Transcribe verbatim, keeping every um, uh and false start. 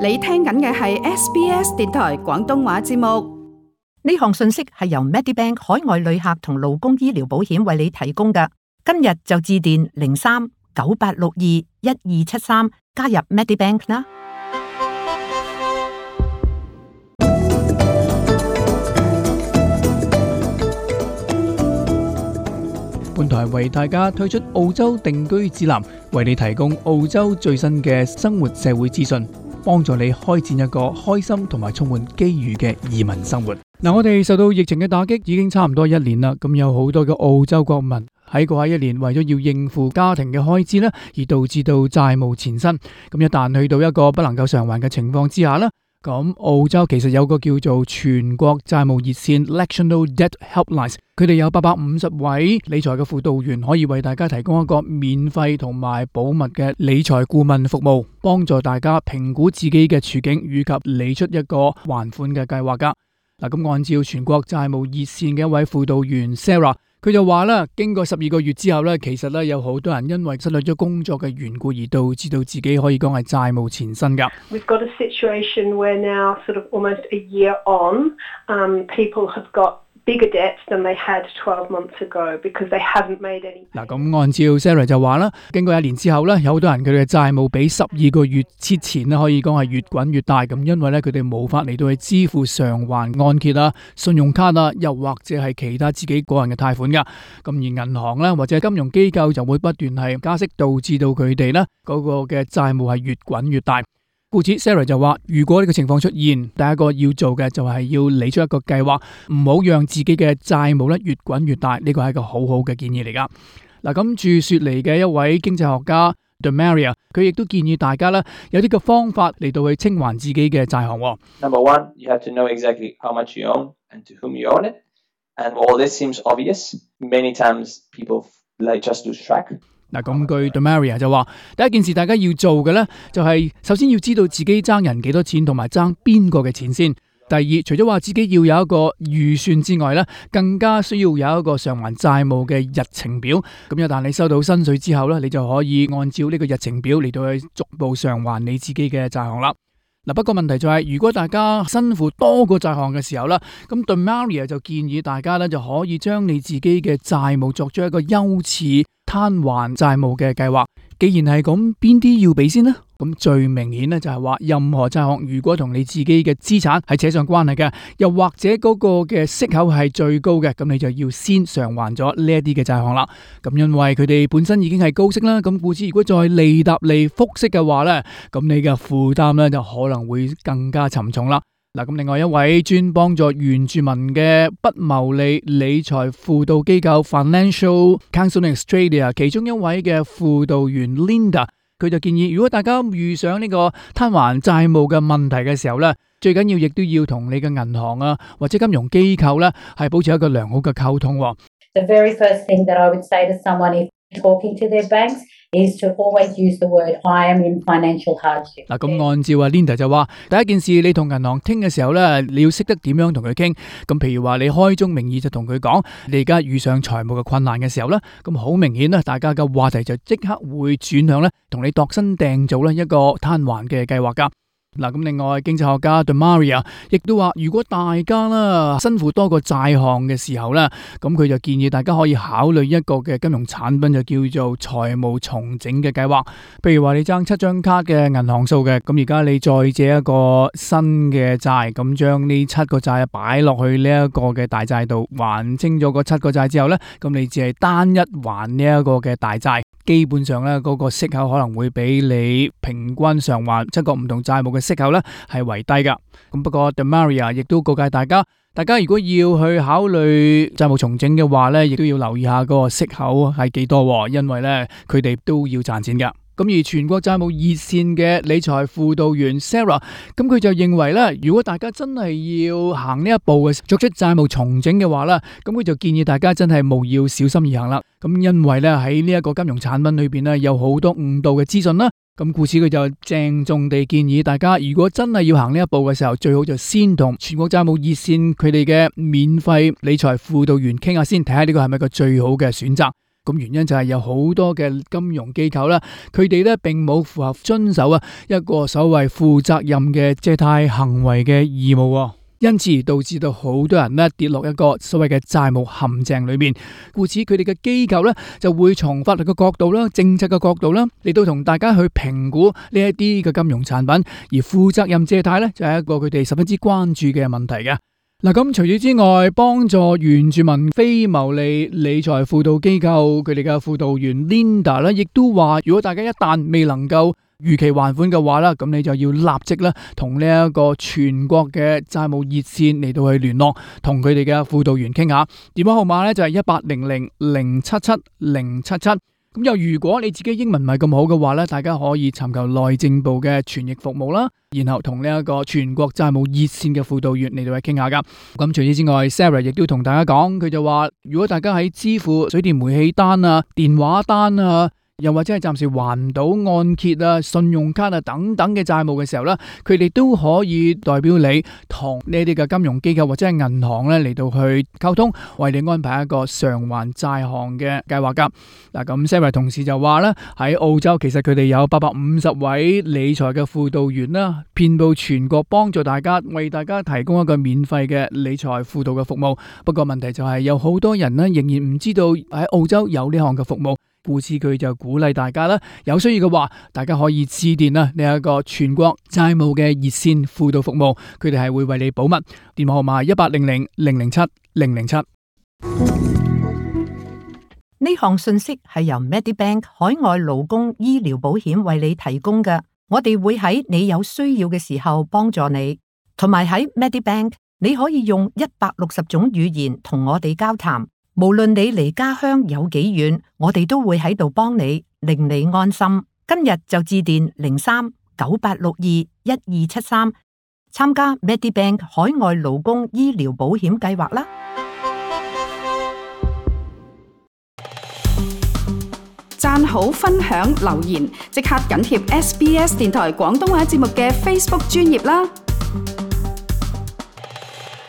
你聽緊嘅係 S B S 電台廣東話節目。呢項信息係由 Medibank 海外旅客同勞工醫療保險為你提供嘅。今日就致電零三九八六二一二七三加入 Medibank 啦。本台為大家推出澳洲定居指南，為你提供澳洲最新嘅生活社會資訊，幫助你開展一個開心同埋充滿機遇嘅移民生活。嗱，我哋受到疫情嘅打擊已經差唔多一年啦，咁有好多嘅澳洲國民喺過去一年為咗要應付家庭嘅開支呢，而導致到債務纏身。咁一旦去到一個不能夠償還嘅情況之下呢，咁澳洲其實有個叫做全國債務熱線 National Debt Helpline， 佢哋有八百五十位理財嘅輔導員，可以為大家提供一個免費同埋保密嘅理財顧問服務，幫助大家評估自己嘅處境以及理出一個還款嘅計劃噶。嗱，咁按照全國債務熱線嘅一位輔導員 Sarah，佢就話啦，經過十二個月之後咧，其實咧有好多人因為失去咗工作嘅緣故，而導致到自己可以講係債務纏身噶。We've got a situation where now, sort of almost a year on, um, people have got bigger debts than they had twelve months ago because they haven't made any. 嗱，咁按照 Sarah 就話啦，經過一年之後咧，有好多人佢哋嘅債務比十二個月之前咧，可以講係越滾越大。咁因為咧，佢哋冇法嚟到去支付償還按揭啊、信用卡啊，又或者係其他自己個人嘅貸款噶。咁而銀行咧或者金融機構就會不斷係加息，導致到佢哋咧嗰個嘅債務係越滾越大。故此 Sarah 就話，如果呢個情況出現，第一個要做嘅就係要理出一個計劃，唔好讓自己嘅債務咧越滾越大。呢個係一個好好嘅建議嚟噶。嗱，咁駐雪梨嘅一位經濟學家 Demaria， 佢亦都建議大家咧有啲嘅方法嚟到去清還自己嘅債項。Number one, you have to know exactly how much you own and to whom you own it. And while this seems obvious, many times people like just lose track. 嗱，咁據 Demaria 就話，第一件事大家要做嘅咧，就係首先要知道自己爭人幾多錢，同埋爭邊個嘅錢先。第二，除咗話自己要有一個預算之外咧，更加需要有一個償還債務嘅日程表。咁一旦你收到薪水之後咧，你就可以按照呢個日程表嚟到去逐步償還你自己嘅債項啦。嗱，不過問題就係，如果大家身負多個債項嘅時候咧，咁 Demaria 就建議大家咧就可以將你自己嘅債務作出一個優次攤還債務嘅計劃。既然係咁，邊啲要俾先呢？咁最明顯咧就係話，任何債項如果同你自己嘅資產係扯上關係嘅，又或者嗰個嘅息口係最高嘅，咁你就要先償還咗呢一啲嘅債項啦。咁因為佢哋本身已經係高息啦，咁故此如果再利搭利複息嘅話咧，咁你嘅負擔咧就可能會更加沉重啦。嗱，咁另外一位專幫助原住民嘅不牟利理財輔導機構 Financial Counselling Australia 其中一位嘅輔導員 Linda， 佢就建議，如果大家遇上呢個攤還債務嘅問題嘅時候咧，最緊要亦都要同你嘅銀行啊或者金融機構咧係保持一個良好嘅溝通。The very first thing that I would say to someone if talking to their banks is to always use the word I am in financial hardship。嗱，咁按照阿 Linda 就話，第一件事你同銀行傾嘅時候咧，你要識得點樣同佢傾。咁譬如話你開宗明義就同佢講，你而家遇上財務嘅困難嘅時候咧，咁好明顯咧，大家嘅話題就即刻會轉向咧，同你度身訂造咧一個攤還嘅計劃噶。嗱，咁另外經濟學家 Demaria 亦都話，如果大家啦身負多個債項嘅時候咧，咁佢就建議大家可以考慮一個嘅金融產品，就叫做財務重整嘅計劃。譬如話你爭七張卡嘅銀行數嘅，咁而家你再借一個新嘅債，咁將呢七個債擺落去呢一個嘅大債度，還清咗個七個債之後咧，咁你只係單一還呢一個嘅大債。基本上咧，嗰個息口可能會比你平均償還七個唔同債務嘅息口咧係為低噶。咁不過 Demaria 亦都告誡大家，大家如果要去考慮債務重整嘅話咧，亦都要留意下嗰個息口係幾多，因為咧佢哋都要賺錢噶。咁而全國債務熱線嘅理財輔導員 Sarah， 咁佢就認為咧，如果大家真係要行呢一步嘅作出債務重整嘅話咧，咁佢就建議大家真係務要小心而行啦。咁因為咧喺呢一個金融產品裏邊咧有好多誤導嘅資訊啦，咁故此佢就鄭重地建議大家，如果真係要行呢一步嘅時候，最好就先同全國債務熱線佢哋嘅免費理財輔導員傾下先，睇下呢個係咪個最好嘅選擇。咁原因就係有好多嘅金融機構啦，佢哋咧並冇符合遵守啊一個所謂負責任嘅借貸行為嘅義務，因此導致到好多人咧跌落一個所謂嘅債務陷阱裏面。故此佢哋嘅機構咧就會從法律嘅角度啦、政策嘅角度啦嚟到同大家去評估呢一啲嘅金融產品，而負責任借貸咧就係一個佢哋十分之關注嘅問題嘅。嗱，咁除此之外，幫助原住民非牟利理財輔導機構佢哋嘅輔導員 Linda 咧，亦都話，如果大家一旦未能夠逾期還款嘅話啦，咁你就要立即咧同呢一個全國嘅債務熱線嚟到去聯絡，同佢哋嘅輔導員傾下。電話號碼咧就係一八零零零七七零七七。咁又如果你自己英文唔係咁好嘅話咧，大家可以尋求內政部嘅傳譯服務啦，然後同呢一個全國債務熱線嘅輔導員嚟到去傾下噶。咁除此之外 ，Sarah 亦都同大家講，佢就話如果大家喺支付水電煤氣單啊、電話單啊，又或者係暫時還唔到按揭啊、信用卡啊等等嘅債務嘅時候咧，佢哋都可以代表你同呢啲嘅金融機構或者係銀行咧嚟到去溝通，為你安排一個償還債項嘅計劃噶。嗱，咁 Sarah 同事就話咧，喺澳洲其實佢哋有八百五十位理財嘅輔導員啦，遍佈全國，幫助大家為大家提供一個免費嘅理財輔導嘅服務。不過問題就係有好多人咧仍然唔知道喺澳洲有呢項嘅服務。故此佢就鼓勵大家啦，有需要嘅話，大家可以致電啦呢一個全國債務嘅熱線輔導服務，佢哋係會為你保密。電話號碼一八零零零零七零零七。呢項信息係由 Medibank 海外勞工醫療保險為你提供嘅，我哋會喺你有需要嘅時候幫助你，同埋喺 Medibank 你可以用一百六十種語言同我哋交談。無論你離家鄉有幾遠，我哋都會喺度幫你，令你安心。今日就致電零三九八六二一二七三，參加 Medibank 海外勞工醫療保險計劃啦。讚好、分享、留言，即刻緊貼 S B S 電台廣東話節目嘅 Facebook 專頁啦！